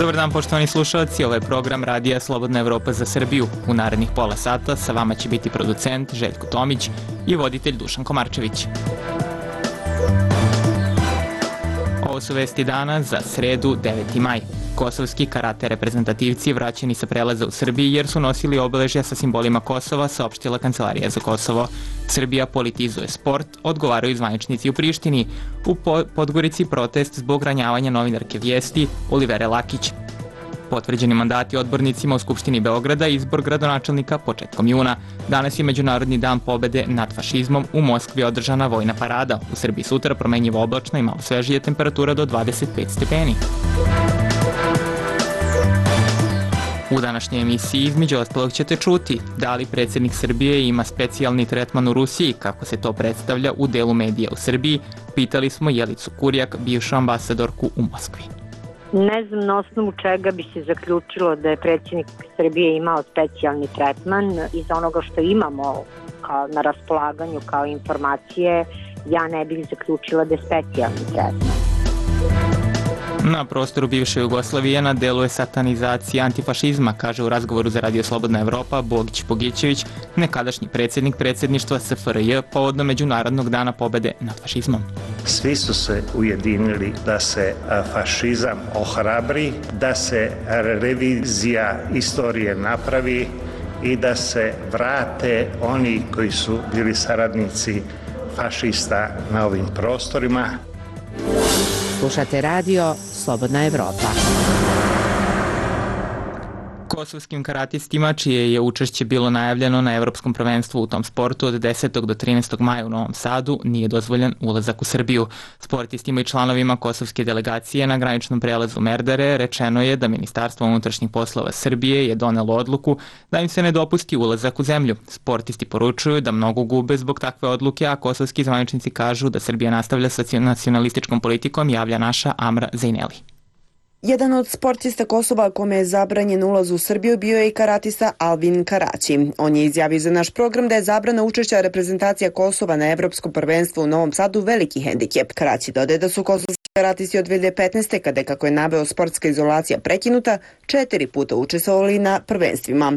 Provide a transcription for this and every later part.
Dobar dan, poštovani slušalci, ovo je program Radija Slobodna Evropa za Srbiju. U narednih pola sata sa vama će biti producent Željko Tomić i voditelj Dušan Komarčević. Ovo su vesti dana za sredu 9. maj. Kosovski karate reprezentativci vraćeni sa prelaza u Srbiji jer su nosili obeležja sa simbolima Kosova, saopštila Kancelarija za Kosovo. Srbija politizuje sport, odgovaraju zvaničnici u Prištini. U Podgorici protest zbog ranjavanja novinarke Vijesti Olivere Lakić. Potvrđeni mandati odbornicima u Skupštini Beograda i izbor gradonačelnika početkom juna. Danas je Međunarodni dan pobede nad fašizmom, u Moskvi održana vojna parada. U Srbiji sutra promenjivo oblačno i malo svežije, temperatura do 25 stepeni. U današnjoj emisiji između ostalog ćete čuti da li predsjednik Srbije ima specijalni tretman u Rusiji, kako se to predstavlja u delu medija u Srbiji. Pitali smo Jelicu Kurjak, bivšu ambasadorku u Moskvi. Ne znam na osnovu čega bi se zaključilo da je predsjednik Srbije imao specijalni tretman. Iz onoga što imamo na raspolaganju kao informacije, ja ne bih zaključila da je specijalni tretman. Na prostoru bivše Jugoslavije na delu je satanizacija antifašizma, kaže u razgovoru za Radio Slobodna Evropa Bogić Bogićević, nekadašnji predsjednik predsjedništva SFRJ povodom Međunarodnog dana pobede nad fašizmom. Svi su se ujedinili da se fašizam ohrabri, da se revizija istorije napravi i da se vrate oni koji su bili saradnici fašista na ovim prostorima. Slušate radio Slobodna Evropa. Kosovskim karatistima, čije je učešće bilo najavljeno na Evropskom prvenstvu u tom sportu od 10. do 13. maja u Novom Sadu, nije dozvoljen ulazak u Srbiju. Sportistima i članovima kosovske delegacije na graničnom prelazu Merdare rečeno je da Ministarstvo unutrašnjih poslova Srbije je donelo odluku da im se ne dopusti ulazak u zemlju. Sportisti poručuju da mnogo gube zbog takve odluke, a kosovski zvaničnici kažu da Srbija nastavlja sa nacionalističkom politikom, javlja naša Amra Zejneli. Jedan od sportista Kosova kome je zabranjen ulaz u Srbiju bio je i karatista Alvin Karaći. On je izjavio za naš program da je zabrana učešća reprezentacija Kosova na Evropskom prvenstvu u Novom Sadu veliki hendikep. Karaći dodaje da su kosovski karatisti od 2015. kada je, kako je naveo, sportska izolacija prekinuta, 4 puta učestvovali na prvenstvima.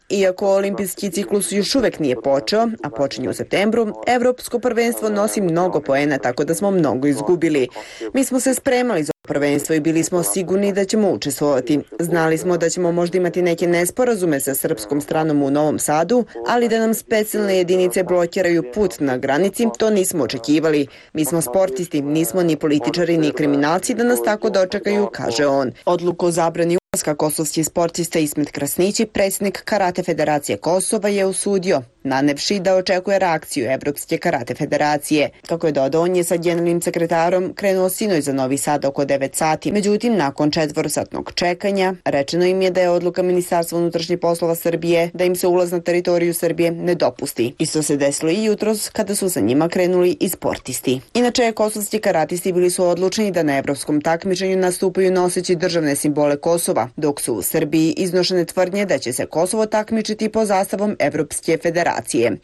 Iako olimpijski ciklus još uvek nije počeo, a počinje u septembru, Evropsko prvenstvo nosi mnogo poena, tako da smo mnogo izgubili. Mi smo se spremali za prvenstvo i bili smo sigurni da ćemo učestvovati. Znali smo da ćemo možda imati neke nesporazume sa srpskom stranom u Novom Sadu, ali da nam specijalne jedinice blokiraju put na granici, to nismo očekivali. Mi smo sportisti, nismo ni političari ni kriminalci da nas tako dočekaju, kaže on. Odluku o zabrani ulaska kosovski sportista Ismet Krasnići, predsjednik Karate Federacije Kosova, je osudio, nanevši da očekuje reakciju Evropske karate federacije. Kako je dodao, on je sa generalnim sekretarom krenuo sinoć za Novi Sad oko 9 sati. Međutim, nakon 4-satnog čekanja, rečeno im je da je odluka Ministarstva unutrašnjih poslova Srbije da im se ulaz na teritoriju Srbije ne dopusti. Isto se desilo i jutros kada su sa njima krenuli i sportisti. Inače, kosovski karatisti bili su odlučeni da na evropskom takmičenju nastupaju noseći državne simbole Kosova, dok su u Srbiji iznošene tvrdnje da će se Kosovo takmičiti pod zastavom Evropske federacije.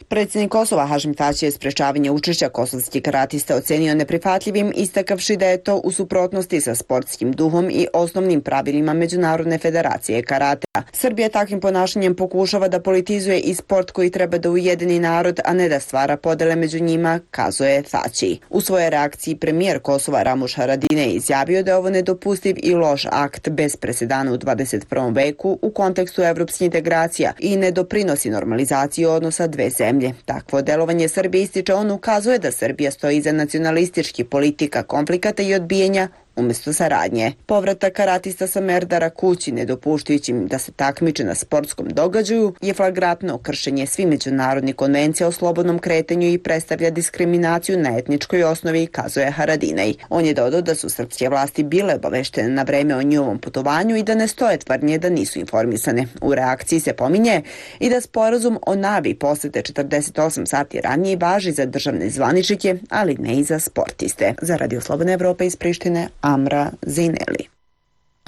Predsjednik Kosova Hašim Tači je sprečavanje učešća kosovskih karatista ocenio neprihvatljivim, istakavši da je to u suprotnosti sa sportskim duhom i osnovnim pravilima Međunarodne federacije karatea. Srbija takvim ponašanjem pokušava da politizuje i sport koji treba da ujedini narod, a ne da stvara podele među njima, kazuje Tači. U svojoj reakciji premijer Kosova Ramuš Haradinaj je izjavio da je ovo nedopustiv i loš akt bez presedana u 21. veku u kontekstu evropskih integracija i ne doprinosi normalizaciji odnosa dve zemlje. Takvo delovanje Srbije, ističe on, ukazuje da Srbija stoji iza nacionalističkih politika, konflikata i odbijanja umjesto saradnje. Povratak karatista sa Merdara kući, nedopuštajući im da se takmiče na sportskom događaju, je flagrantno kršenje svih međunarodnih konvencija o slobodnom kretanju i predstavlja diskriminaciju na etničkoj osnovi, kazuje Haradinaj. On je dodao da su srpske vlasti bile obaveštene na vreme o njihovom putovanju i da ne stoje tvrdnje da nisu informisane. U reakciji se pominje i da sporazum o najavi posete 48 sati ranije važi za državne zvaničnike, ali ne i za sportiste. Za Radio Slobodna Evropa iz Prištine, Amra Zejneli.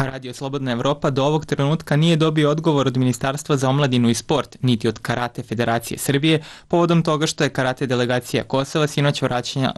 A Radio Slobodna Evropa do ovog trenutka nije dobio odgovor od Ministarstva za omladinu i sport, niti od Karate Federacije Srbije, povodom toga što je karate delegacija Kosova sinoć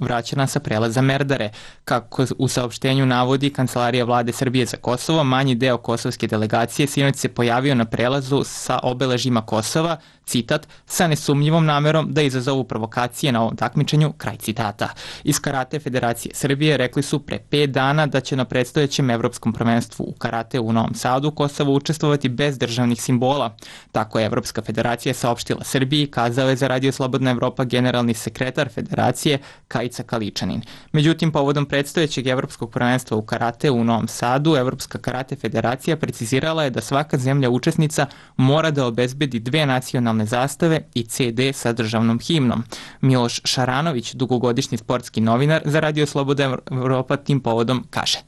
vraćena sa prelaza Merdare. Kako u saopštenju navodi Kancelarija vlade Srbije za Kosovo, manji deo kosovske delegacije sinoć se pojavio na prelazu sa obeležjima Kosova, citat, sa nesumnjivom namerom da izazovu provokacije na ovom takmičenju, kraj citata. Iz Karate Federacije Srbije rekli su pre 5 dana da će na predstojećem evropskom prvenstvu u karate u Novom Sadu Kosovo učestvovati bez državnih simbola. Tako je Evropska federacija saopštila Srbiji, kazao je za Radio Slobodna Evropa generalni sekretar federacije Kajica Kaličanin. Međutim, povodom predstojećeg evropskog prvenstva u karate u Novom Sadu, Evropska karate federacija precizirala je da svaka zemlja učesnica mora da obezbedi 2 nacionalne zastave i CD sa državnom himnom. Miloš Šaranović, dugogodišnji sportski novinar za Radio Slobodna Evropa, tim povodom kaže.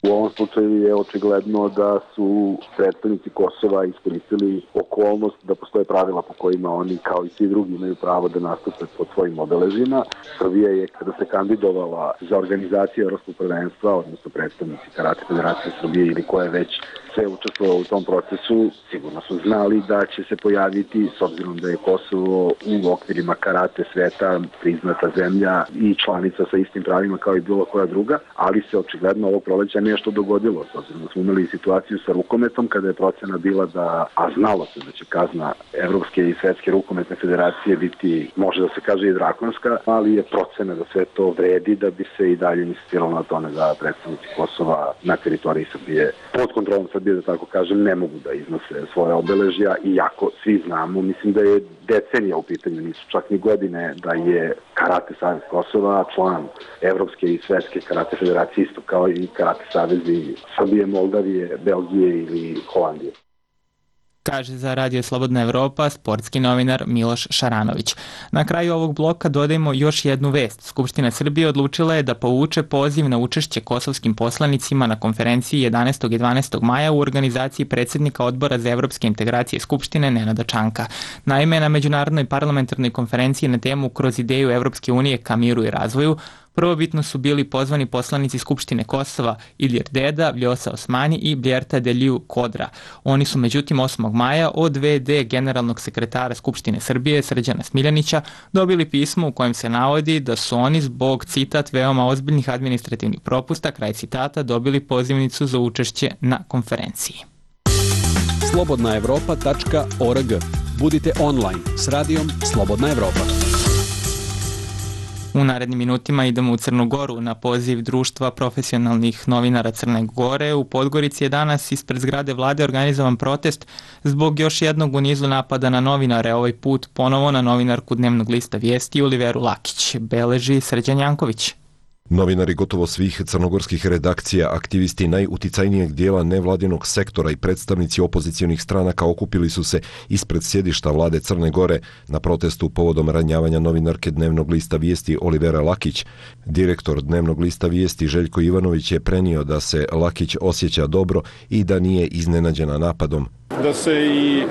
U ovom slučaju je očigledno da su predstavnici Kosova iskoristili okolnost da postoje pravila po kojima oni, kao i svi drugi, imaju pravo da nastupe pod svojim obeležima. Srbija je, kada se kandidovala za organizaciju Evropskog prvenstva, odnosno predstavnici Karate Federacije Srbije ili ko je već sve učestvovao u tom procesu, sigurno su znali da će se pojaviti, s obzirom da je Kosovo u okvirima karate sveta priznata zemlja i članica sa istim pravima kao i bilo koja druga, ali se očigledno ovo proleća nešto dogodilo, s obzirom da smo imali situaciju sa rukometom kada je procena bila da, a znalo se da će kazna Evropske i Svetske rukometne federacije biti, može da se kaže i drakonska, ali je procena da sve to vredi da bi se i dalje insistiralo na tome da predstavnici Kosova na teritoriji Srbije pod kontrolom Srbije, da tako kažem, ne mogu da iznose svoje obeležja, iako svi znamo, mislim da je decenija u pitanju, nisu čak ni godine, da je Karate Savez Kosova član Evropske i Svetske karate federacije, isto kao i Karate Savezi Srbije, Moldavije, Belgije ili Holandije. Kaže za Radio Slobodna Evropa sportski novinar Miloš Šaranović. Na kraju ovog bloka dodajemo još jednu vest. Skupština Srbije odlučila je da povuče poziv na učešće kosovskim poslanicima na konferenciji 11. i 12. maja u organizaciji predsjednika Odbora za evropske integracije Skupštine Nenada Čanka. Naime, na Međunarodnoj parlamentarnoj konferenciji na temu Kroz ideju Evropske unije ka miru i razvoju prvobitno su bili pozvani poslanici Skupštine Kosova Ilir Deda, Vljosa Osmani i Bljerta Deliju Kodra. Oni su međutim 8. maja od VD generalnog sekretara Skupštine Srbije Srđana Smiljanića dobili pismo u kojem se navodi da su oni zbog, citat, veoma ozbiljnih administrativnih propusta, kraj citata, dobili pozivnicu za učešće na konferenciji. slobodnaevropa.org. Budite online s radijom Slobodna Evropa. U narednim minutima idemo u Crnu Goru. Na poziv Društva profesionalnih novinara Crne Gore u Podgorici je danas ispred zgrade vlade organizovan protest zbog još jednog u nizu napada na novinare, ovaj put ponovo na novinarku Dnevnog lista Vijesti Oliveru Lakić, beleži Srđan Janković. Novinari gotovo svih crnogorskih redakcija, aktivisti najuticajnijeg dijela nevladinog sektora i predstavnici opozicionih stranaka okupili su se ispred sjedišta vlade Crne Gore na protestu povodom ranjavanja novinarke Dnevnog lista Vijesti Olivera Lakić. Direktor Dnevnog lista Vijesti Željko Ivanović je prenio da se Lakić osjeća dobro i da nije iznenađena napadom. Da se i,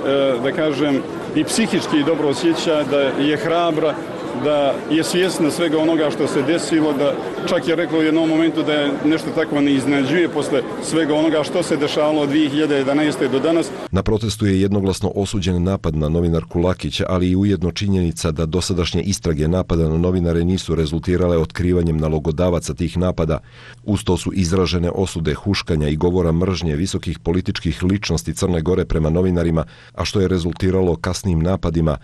da kažem, i psihički dobro osjeća, da je hrabra, da je svjesna svega onoga što se desilo, da čak je rekla u jednom momentu da je nešto tako ne iznenađuje posle svega onoga što se dešavalo od 2011. do danas. Na protestu je jednoglasno osuđen napad na novinarku Lakić, ali i ujedno činjenica da dosadašnje istrage napada na novinare nisu rezultirale otkrivanjem nalogodavaca tih napada. Uz to su izražene osude huškanja i govora mržnje visokih političkih ličnosti Crne Gore prema novinarima, a što je rezultiralo kasnim napadima.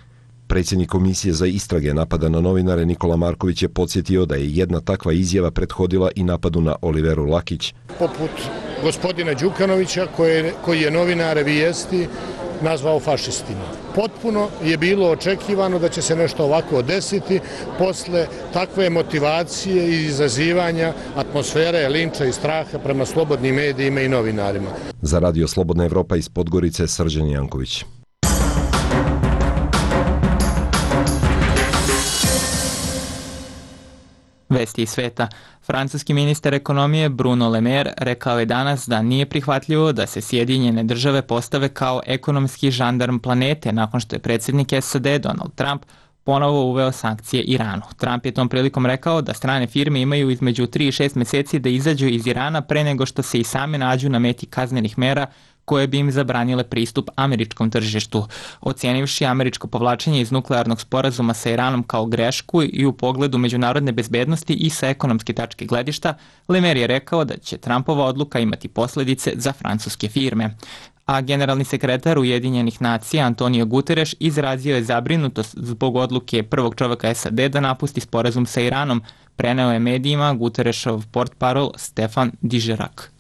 Predsjednik Komisije za istrage napada na novinare Nikola Marković je podsjetio da je jedna takva izjava prethodila i napadu na Oliveru Lakić. Poput gospodina Đukanovića koji je novinare Vijesti nazvao fašistima. Potpuno je bilo očekivano da će se nešto ovako desiti posle takve motivacije i izazivanja atmosfere linča i straha prema slobodnim medijima i novinarima. Za Radio Slobodna Evropa iz Podgorice Srđan Janković. Vesti iz sveta. Francuski ministar ekonomije Bruno Le Maire rekao je danas da nije prihvatljivo da se Sjedinjene države postave kao ekonomski žandarm planete nakon što je predsjednik SAD Donald Trump ponovo uveo sankcije Iranu. Trump je tom prilikom rekao da strane firme imaju između 3 i 6 meseci da izađu iz Irana pre nego što se i same nađu na meti kaznenih mera koje bi im zabranile pristup američkom tržištu. Ocenivši američko povlačenje iz nuklearnog sporazuma sa Iranom kao grešku i u pogledu međunarodne bezbednosti i sa ekonomske tačke gledišta, Le Maire je rekao da će Trumpova odluka imati posledice za francuske firme. A generalni sekretar Ujedinjenih nacija Antonio Guterres izrazio je zabrinutost zbog odluke prvog čoveka SAD da napusti sporazum sa Iranom, preneo je medijima Guterresov portparol Stefan Dižerak.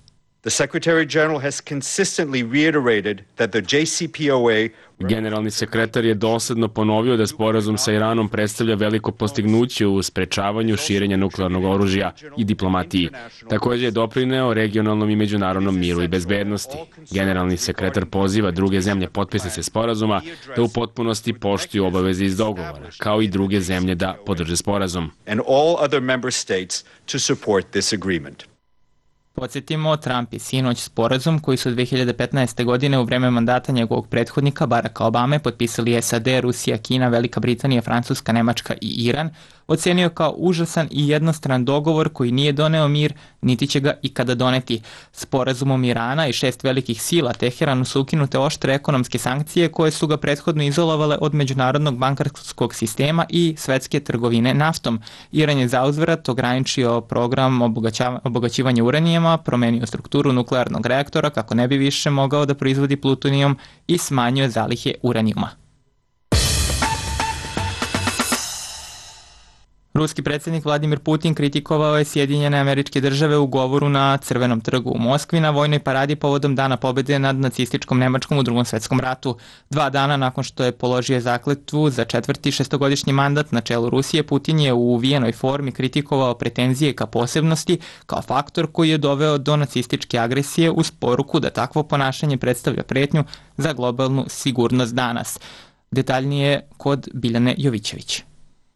The Secretary General has consistently reiterated that the JCPOA. Generalni sekretar je dosledno ponovio da sporazum sa Iranom predstavlja veliko postignuće u sprečavanju širenja nuklearnog oružja i diplomatiji. Također je doprineo regionalnom i međunarodnom miru i bezbednosti. Generalni sekretar poziva druge zemlje potpisnice sporazuma da u potpunosti poštuju obaveze iz dogovora, kao i druge zemlje da podrže sporazum. And all other member states to support this agreement. Podsjetimo, Trump je sinoć sporazum koji su 2015. godine u vreme mandata njegovog prethodnika Baracka Obame potpisali SAD, Rusija, Kina, Velika Britanija, Francuska, Nemačka i Iran, ocenio kao užasan i jednostran dogovor koji nije doneo mir, niti će ga ikada doneti. Sporazumom Irana i 6 velikih sila Teheranu su ukinute oštre ekonomske sankcije koje su ga prethodno izolovale od međunarodnog bankarskog sistema i svetske trgovine naftom. Iran je zauzvrat ograničio program obogaćivanja uranijama, promenio strukturu nuklearnog reaktora kako ne bi više mogao da proizvodi plutonijum i smanjio zalihe uranijuma. Ruski predsjednik Vladimir Putin kritikovao je Sjedinjene Američke Države u govoru na Crvenom trgu u Moskvi na vojnoj paradi povodom Dana pobjede nad nacističkom Nemačkom u Drugom svetskom ratu. 2 dana nakon što je položio zakletvu za 4. šestogodišnji mandat na čelu Rusije, Putin je u uvijenoj formi kritikovao pretenzije ka posebnosti kao faktor koji je doveo do nacističke agresije uz poruku da takvo ponašanje predstavlja pretnju za globalnu sigurnost danas. Detaljnije kod Biljane Jovićević.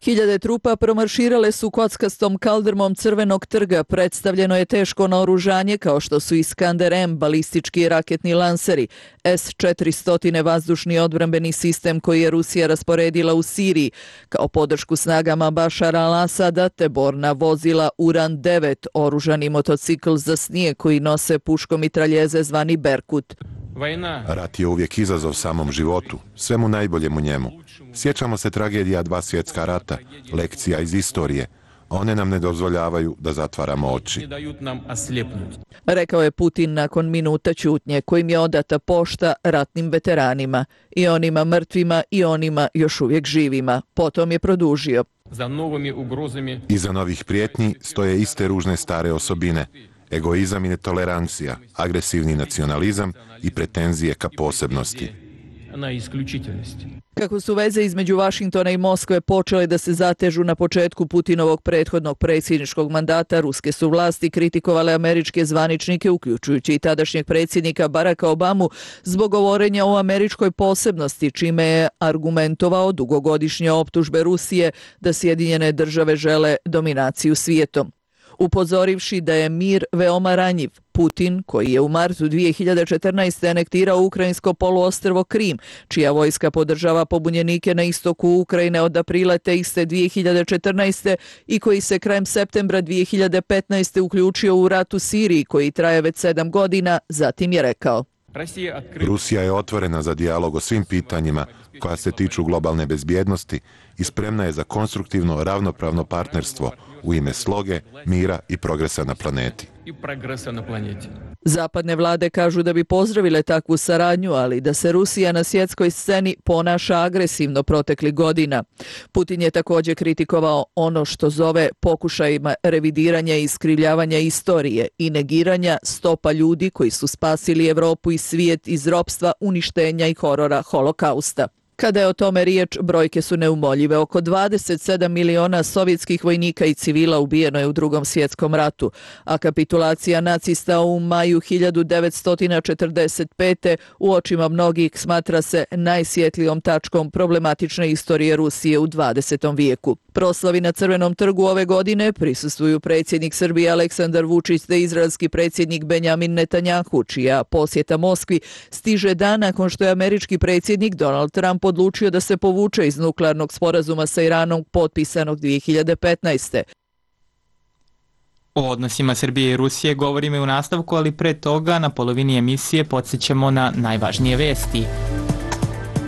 Hiljade trupa promarširale su kockastom kaldrmom Crvenog trga. Predstavljeno je teško naoružanje kao što su Iskander-M, balistički raketni lanseri, S-400 vazdušni odbrambeni sistem koji je Rusija rasporedila u Siriji, kao podršku snagama Bašara al-Asada, te borna vozila Uran-9, oružani motocikl za snijeg koji nose puškomitraljeze zvani Berkut. Rat je uvijek izazov samom životu, svemu najboljem u njemu. Sjećamo se tragedija 2 svjetska rata, lekcija iz istorije. One nam ne dozvoljavaju da zatvaramo oči. Rekao je Putin nakon minuta ćutnje kojim je odata pošta ratnim veteranima, i onima mrtvima i onima još uvijek živima. Potom je produžio. Iza novih prijetnji stoje iste ružne stare osobine. Egoizam i netolerancija, agresivni nacionalizam i pretenzije ka posebnosti. Kako su veze između Vašingtona i Moskve počele da se zatežu na početku Putinovog prethodnog predsjedničkog mandata, ruske su vlasti kritikovale američke zvaničnike, uključujući i tadašnjeg predsjednika Baracka Obamu, zbog govorenja o američkoj posebnosti, čime je argumentovao dugogodišnje optužbe Rusije da Sjedinjene države žele dominaciju svijetom. Upozorivši da je mir veoma ranjiv, Putin, koji je u martu 2014. anektirao ukrajinsko poluostrvo Krim, čija vojska podržava pobunjenike na istoku Ukrajine od aprila te iste 2014. i koji se krajem septembra 2015. uključio u rat u Siriji, koji traje već 7 godina, zatim je rekao: Rusija je otvorena za dijalog o svim pitanjima koja se tiču globalne bezbjednosti i spremna je za konstruktivno, ravnopravno partnerstvo u ime sloge, mira i progresa na planeti. Zapadne vlade kažu da bi pozdravile takvu saradnju, ali da se Rusija na svjetskoj sceni ponaša agresivno proteklih godina. Putin je također kritikovao ono što zove pokušajima revidiranja i iskrivljavanja istorije i negiranja stopa ljudi koji su spasili Evropu i svijet iz ropstva, uništenja i horora Holokausta. Kada je o tome riječ, brojke su neumoljive. Oko 27 miliona sovjetskih vojnika i civila ubijeno je u Drugom svjetskom ratu, a kapitulacija nacista u maju 1945. u očima mnogih smatra se najsvjetlijom tačkom problematične istorije Rusije u 20. vijeku. Proslavi na Crvenom trgu ove godine prisustvuju predsjednik Srbije Aleksandar Vučić te izraelski predsjednik Benjamin Netanjahu, čija posjeta Moskvi stiže dan nakon što je američki predsjednik Donald Trump Trump odlučio da se povuče iz nuklearnog sporazuma sa Iranom potpisanog 2015. O odnosima Srbije i Rusije govorimo i u nastavku, ali pre toga na polovini emisije podsjećamo na najvažnije vesti.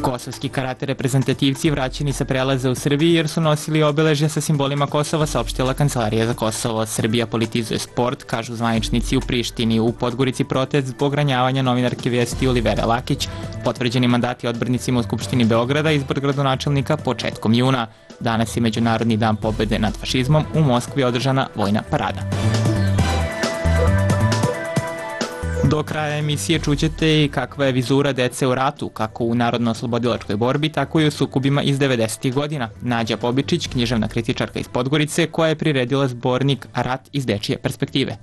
Kosovski karate reprezentativci vraćeni sa prelaza u Srbiji jer su nosili obeležja sa simbolima Kosova, saopštila Kancelarija za Kosovo. Srbija politizuje sport, kažu zvaničnici u Prištini. U Podgorici protest zbog ranjavanja novinarke Vijesti Olivere Lakić. Potvrđeni mandati odbornicima u Skupštini Beograda, izbor gradonačelnika početkom juna. Danas je Međunarodni dan pobede nad fašizmom, u Moskvi je održana vojna parada. Do kraja emisije čućete i kakva je vizura dece u ratu, kako u narodno-oslobodilačkoj borbi, tako i u sukobima iz 90. godina. Nađa Bobičić, književna kritičarka iz Podgorice, koja je priredila zbornik Rat iz dečije perspektive.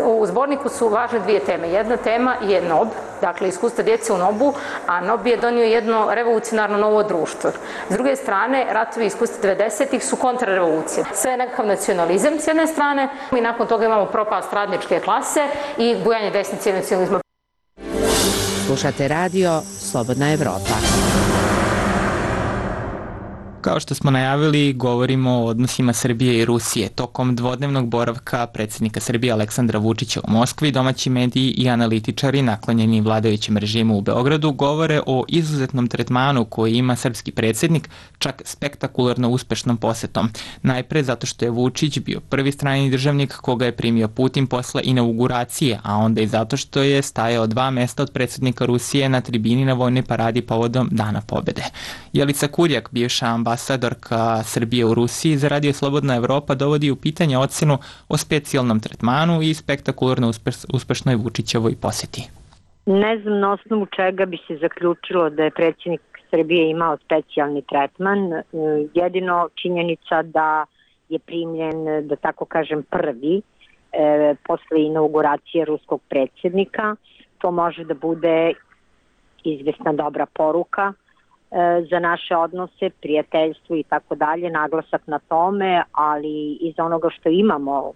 U zborniku su važne dvije teme. Jedna tema je NOB, dakle iskustva djece u NOB-u, a NOB je donio jedno revolucionarno novo društvo. S druge strane, ratovi iskustva 90-ih su kontrarevolucija. Sve je nekakav nacionalizam s jedne strane i nakon toga imamo propast radničke klase i bujanje desnice i nacionalizma. Slušate radio Slobodna Evropa. Kao što smo najavili, govorimo o odnosima Srbije i Rusije. Tokom dvodnevnog boravka predsjednika Srbije Aleksandra Vučića u Moskvi, domaći mediji i analitičari naklonjeni vladajućem režimu u Beogradu govore o izuzetnom tretmanu koji ima srpski predsjednik, čak spektakularno uspešnom posetom. Najpre zato što je Vučić bio prvi strani državnik koga je primio Putin posle inauguracije, a onda i zato što je stajao 2 mesta od predsjednika Rusije na tribini na vojnoj paradi povodom Dana pobede. Jelica Kurjak, bivša ambasadorka Srbije u Rusiji za Radio Slobodna Evropa, dovodi u pitanje ocenu o specijalnom tretmanu i spektakularno uspešnoj Vučićevoj poseti. Ne znam na osnovu čega bi se zaključilo da je predsjednik Srbije imao specijalni tretman. Jedino činjenica da je primljen, da tako kažem, prvi posle inauguracije ruskog predsjednika. To može da bude izvesna dobra poruka za naše odnose, prijateljstvo i tako dalje, naglasak na tome, ali iz onoga što imamo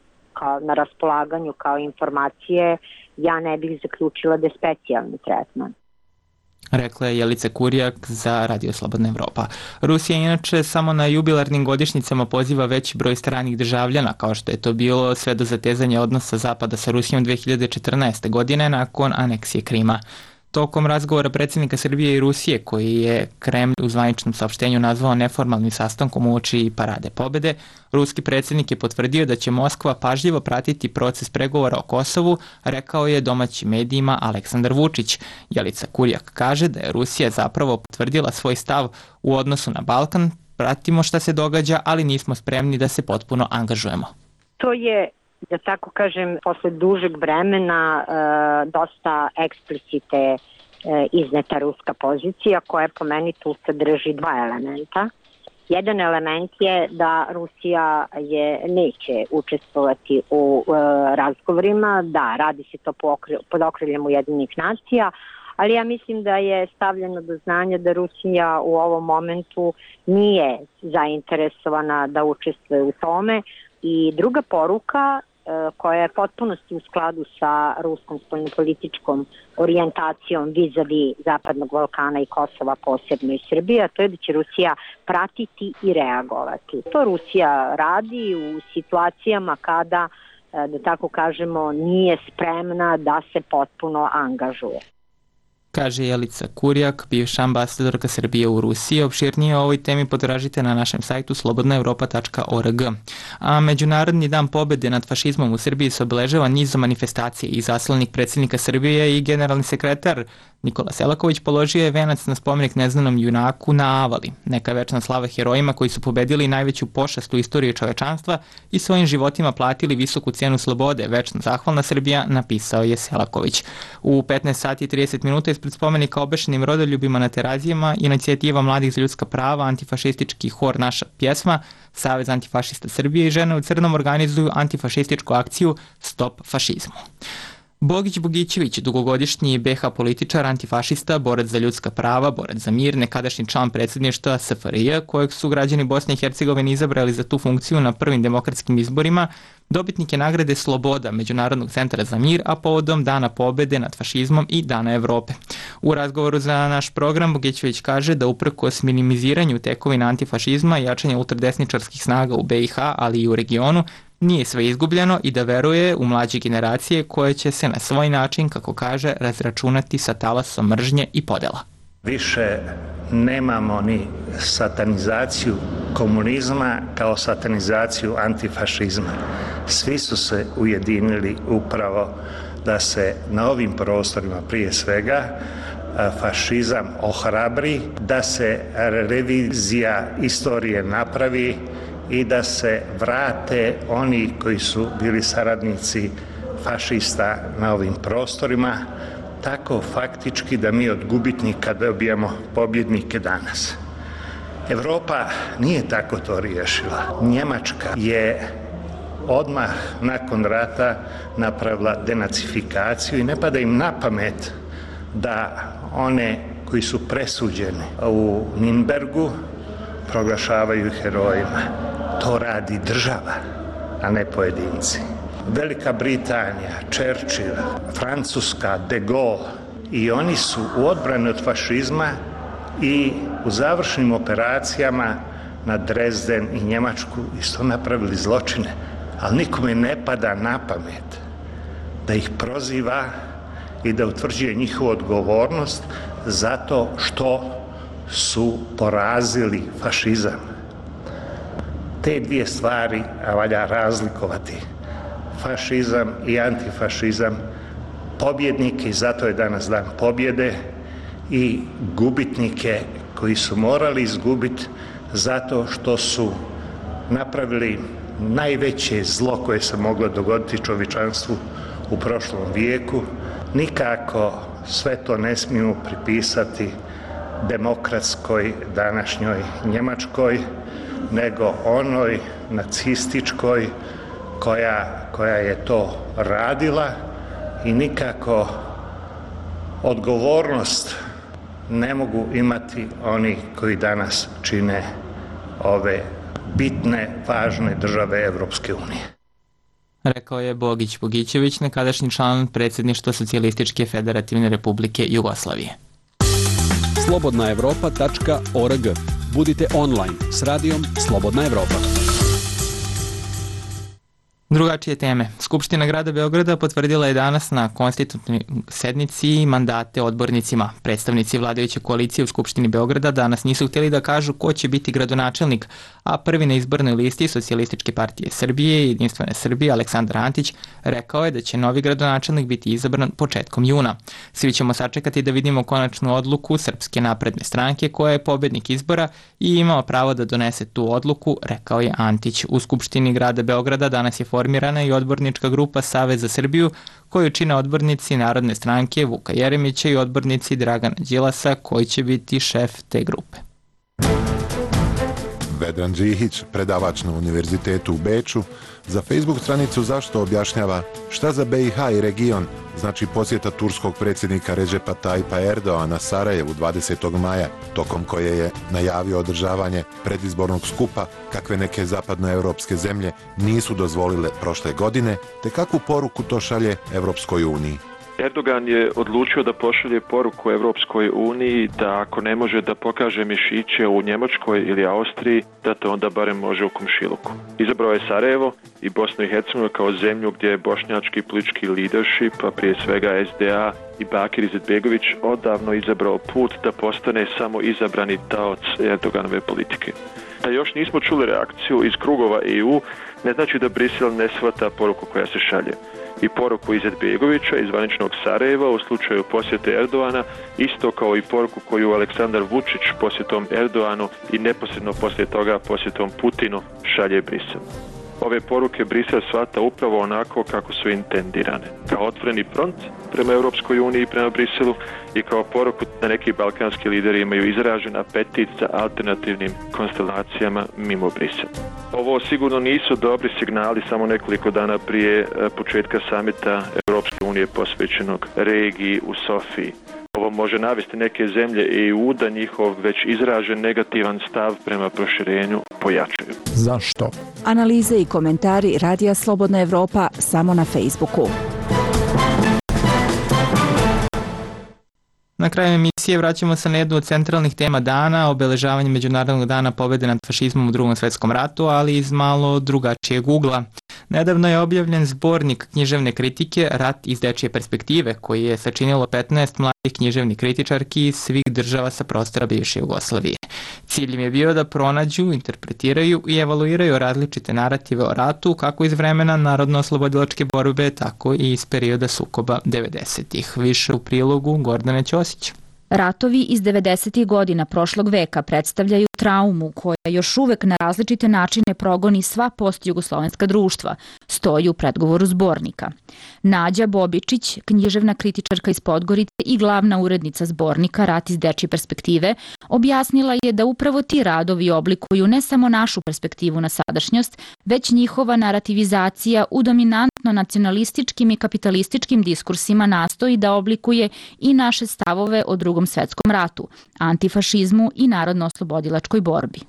na raspolaganju kao informacije, ja ne bih zaključila da je specijalni tretman. Rekla je Jelica Kurjak za Radio Slobodna Evropa. Rusija inače samo na jubilarnim godišnjicama poziva veći broj stranih državljana, kao što je to bilo sve do zatezanja odnosa Zapada sa Rusijom 2014. godine nakon aneksije Krima. Tokom razgovora predsjednika Srbije i Rusije, koji je Kremlj u zvaničnom saopštenju nazvao neformalnim sastankom uoči parade pobede, ruski predsjednik je potvrdio da će Moskva pažljivo pratiti proces pregovora o Kosovu, rekao je domaćim medijima Aleksandar Vučić. Jelica Kurjak kaže da je Rusija zapravo potvrdila svoj stav u odnosu na Balkan, pratimo šta se događa, ali nismo spremni da se potpuno angažujemo. To je, da tako kažem, posle dužeg vremena dosta eksplicite izneta ruska pozicija koja po meni tu sadrži 2 elementa. Jedan element je da Rusija neće učestvovati u razgovorima, da radi se to pod okriljem Ujedinjenih nacija, ali ja mislim da je stavljeno do znanja da Rusija u ovom momentu nije zainteresovana da učestvuje u tome. I druga poruka koja je potpunosti u skladu sa ruskom spoljnopolitičkom orijentacijom vis-a-vis Zapadnog Balkana i Kosova, posebno i Srbije, to je da će Rusija pratiti i reagovati. To Rusija radi u situacijama kada, da tako kažemo, nije spremna da se potpuno angažuje. Kaže Jelica Kurjak, bivša ambasadorka Srbije u Rusiji. Opširnije o ovoj temi potražite na našem sajtu slobodnaevropa.org. A Međunarodni dan pobede nad fašizmom u Srbiji se obeležava nizom manifestacije i zaslanik predsjednika Srbije i generalni sekretar Nikola Selaković položio je venac na spomenik neznanom junaku na Avali. Neka večna slava herojima koji su pobedili najveću pošast u istoriji čovečanstva i svojim životima platili visoku cijenu slobode. Večno zahvalna Srbija, napisao je Selaković. U 15 sati i 30 minuta ispred spomenika obešenim rodoljubima na Terazijama, inicijativa Mladih za ljudska prava, antifašistički hor Naša pjesma, Savez antifašista Srbije i Žene u crnom organizuju antifašističku akciju Stop fašizmu. Bogić Bogićević, dugogodišnji BiH političar, antifašista, borac za ljudska prava, borac za mir, nekadašnji član predsjedništva SFRJ, kojeg su građani Bosne i Hercegovine izabrali za tu funkciju na prvim demokratskim izborima, dobitnik je nagrade Sloboda Međunarodnog centra za mir, a povodom Dana pobede nad fašizmom i Dana Evrope. U razgovoru za naš program Bogićević kaže da uprkos minimiziranju tekovina antifašizma i jačanja ultradesničarskih snaga u BiH, ali i u regionu, nije sve izgubljeno i da veruje u mlađe generacije koje će se na svoj način, kako kaže, razračunati sa talasom mržnje i podela. Više nemamo ni satanizaciju komunizma kao satanizaciju antifašizma. Svi su se ujedinili upravo da se na ovim prostorima prije svega fašizam ohrabri, da se revizija istorije napravi i da se vrate oni koji su bili saradnici fašista na ovim prostorima, tako faktički da mi od gubitnika dobijamo pobjednike danas. Evropa nije tako to riješila. Njemačka je odmah nakon rata napravila denacifikaciju i ne pada im na pamet da one koji su presuđeni u Nürnbergu proglašavaju herojima. To radi država, a ne pojedinci. Velika Britanija, Churchill, Francuska, de Gaulle i oni su u odbrani od fašizma i u završnim operacijama na Dresden i Njemačku isto napravili zločine, ali nikome ne pada na pamet da ih proziva i da utvrđuje njihovu odgovornost zato što su porazili fašizam. Te dvije stvari valja razlikovati. Fašizam i antifašizam, pobjednike, i zato je danas dan pobjede, i gubitnike koji su morali izgubiti zato što su napravili najveće zlo koje se moglo dogoditi čovječanstvu u prošlom vijeku. Nikako sve to ne smijemo pripisati demokratskoj današnjoj Njemačkoj, nego onoj nacističkoj koja je to radila, i nikako odgovornost ne mogu imati oni koji danas čine ove bitne, važne države Evropske unije. Rekao je Bogić Bogićević, nekadašnji član predsjedništva Socijalističke federativne republike Jugoslavije. slobodnaevropa.org. Budite online s radijom Slobodna Evropa. Drugačije teme. Skupština grada Beograda potvrdila je danas na konstitutivnoj sednici mandate odbornicima. Predstavnici vladajuće koalicije u Skupštini Beograda danas nisu htjeli da kažu ko će biti gradonačelnik, a prvi na izbornoj listi Socijalističke partije Srbije i Jedinstvene Srbije, Aleksandar Antić, rekao je da će novi gradonačelnik biti izabran početkom juna. Svi ćemo sačekati da vidimo konačnu odluku Srpske napredne stranke, koja je pobednik izbora i imao pravo da donese tu odluku, rekao je Antić. U Skupštini grada Beograda danas je formirana i odbornička grupa Savez za Srbiju, koju čine odbornici Narodne stranke Vuka Jeremića i odbornici Dragana Đilasa, koji će biti šef te grupe. Vedran Đihić, predavač na Univerzitetu u Beču, za Facebook stranicu Zašto objašnjava šta za BiH i region znači posjeta turskog predsjednika Redžepa Tayyipa Erdoana Sarajevu 20. maja, tokom koje je najavio održavanje predizbornog skupa kakve neke zapadnoevropske zemlje nisu dozvolile prošle godine, te kakvu poruku to šalje Evropskoj uniji. Erdogan je odlučio da pošalje poruku Evropskoj uniji da ako ne može da pokaže mišiće u Njemačkoj ili Austriji, da to onda barem može u komšiluku. Izabrao je Sarajevo i Bosnu i Hercegovinu kao zemlju gdje je bošnjački politički leadership, a prije svega SDA i Bakir Izetbegović odavno izabrao put da postane samo izabrani taoc Erdoganove politike. Da još nismo čuli reakciju iz krugova EU, ne znači da Brisel ne shvata poruku koja se šalje. I poruku Izetbegovića iz zvaničnog Sarajeva u slučaju posjete Erdoana, isto kao i poruku koju Aleksandar Vučić posjetom Erdoanu i neposredno poslije toga posjetom Putinu šalje Brisel. Ove poruke Brisel shvata upravo onako kako su intendirane, kao otvoreni front prema Europskoj uniji i prema Briselu i kao poruku da neki balkanski lideri imaju izražen apetit za alternativnim konstelacijama mimo Brisela. Ovo sigurno nisu dobri signali samo nekoliko dana prije početka samita Europske unije posvećenog regiji u Sofiji. Ovo može navesti neke zemlje EU da njihov već izražen negativan stav prema proširenju pojačaju. Zašto? Analize i komentari Radija Slobodna Evropa samo na Facebooku. Na kraju emisije vraćamo se na jednu od centralnih tema dana, obeležavanje Međunarodnog dana pobjede nad fašizmom u Drugom svjetskom ratu, ali iz malo drugačijeg ugla. Nedavno je objavljen zbornik književne kritike Rat iz dečije perspektive, koji je sačinilo 15 mladih književnih kritičarki iz svih država sa prostora bivše Jugoslavije. Cilj im je bio da pronađu, interpretiraju i evaluiraju različite narative o ratu, kako iz vremena narodno-oslobodilačke borbe, tako i iz perioda sukoba 90-ih. Više u prilogu Gordane Ćosić. Ratovi iz 90. godina prošlog veka predstavljaju traumu koja još uvek na različite načine progoni sva postjugoslovenska društva, stoji u predgovoru zbornika. Nađa Bobičić, književna kritičarka iz Podgorice i glavna urednica zbornika Rat iz dečije perspektive, objasnila je da upravo ti radovi oblikuju ne samo našu perspektivu na sadašnjost, već njihova narativizacija u dominantno nacionalističkim i kapitalističkim diskursima nastoji da oblikuje i naše stavove o Drugom svjetskom ratu, antifašizmu i narodno-oslobodilačkoj borbi.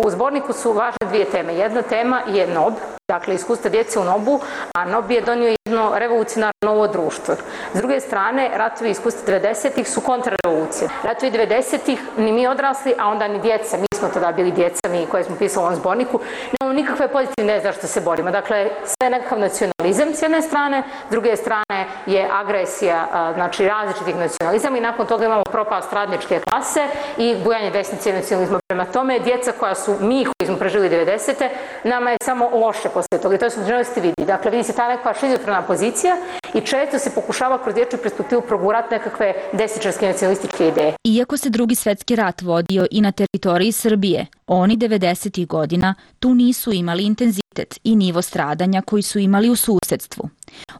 U zborniku su važne dvije teme. Jedna tema je NOB, dakle iskustva djece u NOB-u, a NOB je donio jedno revolucionarno novo društvo. S druge strane, ratovi iskustva 90-ih su kontrarevolucije. Ratovi 90-ih ni mi odrasli, a onda ni djeca. Mi smo tada bili djeca, mi koje smo pisali u ovom zborniku. Nemamo nikakve pozitivne ideje zašto se borimo. Dakle, sve je nekakav nacionalizam s jedne strane, s druge strane je agresija, znači različitih nacionalizama i nakon toga imamo propast radničke klase i bujanje desnice nacionalizma. Prema tome, djeca koja su mi koji smo preživjeli 90-te, nama je samo loše poslije toga i to se u vidi. Dakle, vidi se ta neka šizofrena pozicija i često se pokušava kroz dječju perspektivu progurati nekakve desničarske nacionalističke ideje. Iako se Drugi svjetski rat vodio i na teritoriji Srbije, oni 90. godina tu nisu imali intenzitet i nivo stradanja koji su imali u susedstvu.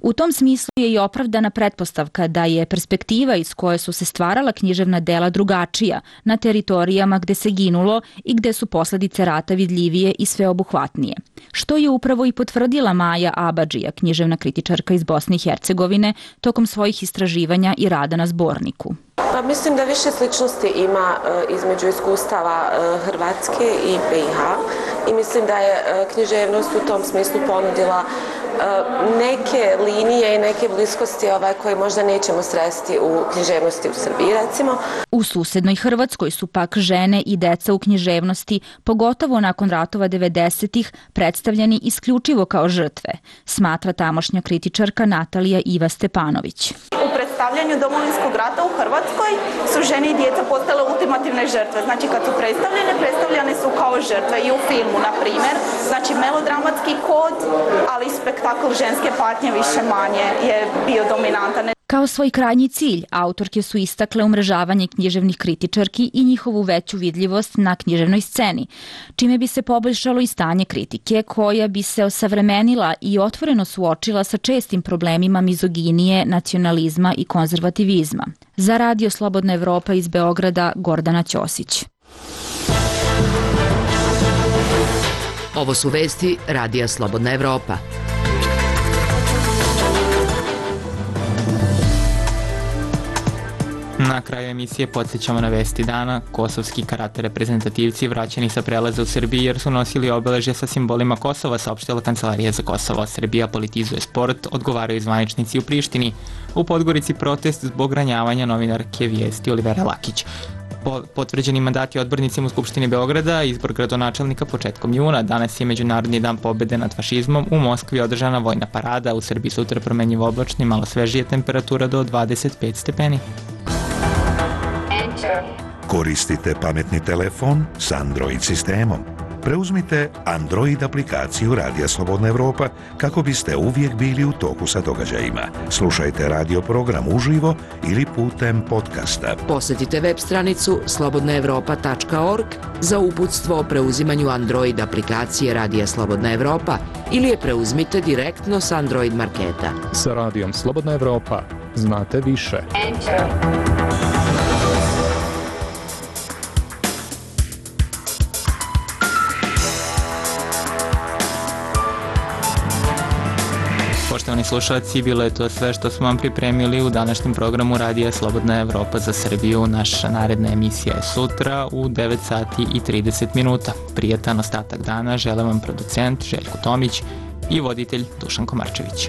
U tom smislu je i opravdana pretpostavka da je perspektiva iz koje su se stvarala književna dela drugačija na teritorijama gde se ginulo i gde su posljedice rata vidljivije i sveobuhvatnije. Što je upravo i potvrdila Maja Abadžija, književna kritičarka iz Bosne i Hercegovine, tokom svojih istraživanja i rada na zborniku. Pa mislim da više sličnosti ima između iskustava Hrvatske i BiH i mislim da je književnost u tom smislu ponudila neke linije i neke bliskosti koje možda nećemo sresti u književnosti u Srbiji, recimo. U susednoj Hrvatskoj su pak žene i deca u književnosti, pogotovo nakon ratova 90-ih, predstavljeni isključivo kao žrtve, smatra tamošnja kritičarka Natalija Iva Stepanović. U predstavljanju Domovinskog rata u Hrvatskoj su žene i djeca postale ultimativne žrtve. Znači kad su predstavljane su kao žrtve i u filmu, na primjer. Znači melodramatski kod, ali spektakl ženske patnje više manje je bio dominantan. Kao svoj krajnji cilj, autorke su istakle umrežavanje književnih kritičarki i njihovu veću vidljivost na književnoj sceni, čime bi se poboljšalo i stanje kritike, koja bi se osavremenila i otvoreno suočila sa čestim problemima mizoginije, nacionalizma i konzervativizma. Za Radio Slobodna Evropa iz Beograda, Gordana Ćosić. Ovo su vesti Radija Slobodna Evropa. Na kraju emisije podsjećamo na vesti dana. Kosovski karate reprezentativci vraćeni sa prelaza u Srbiji jer su nosili obeležje sa simbolima Kosova, saopštila Kancelarija za Kosovo. Srbija politizuje sport, odgovaraju zvaničnici u Prištini. U Podgorici protest zbog ranjavanja novinarke Vijesti Olivera Lakić. Potvrđeni mandati odbornicima u Skupštini Beograda, izbor gradonačelnika početkom juna. Danas je Međunarodni dan pobjede nad fašizmom. U Moskvi je održana vojna parada. U Srbiji sutra promenjivo oblačno i malo svežije, temperatura do 25 stepeni. Koristite pametni telefon s Android sistemom. Preuzmite Android aplikaciju Radija Slobodna Evropa kako biste uvijek bili u toku sa događajima. Slušajte radio program uživo ili putem podcasta. Posjetite web stranicu slobodnaevropa.org za uputstvo o preuzimanju Android aplikacije Radija Slobodna Evropa ili je preuzmite direktno s Android marketa. Sa Radijom Slobodna Evropa znate više. Poštovani slušalci, bilo je to sve što smo vam pripremili u današnjem programu Radija Slobodna Evropa za Srbiju. Naša naredna emisija je sutra u 9 sati i 30 minuta. Prijetan ostatak dana žele vam producent Željko Tomić i voditelj Dušan Komarčević.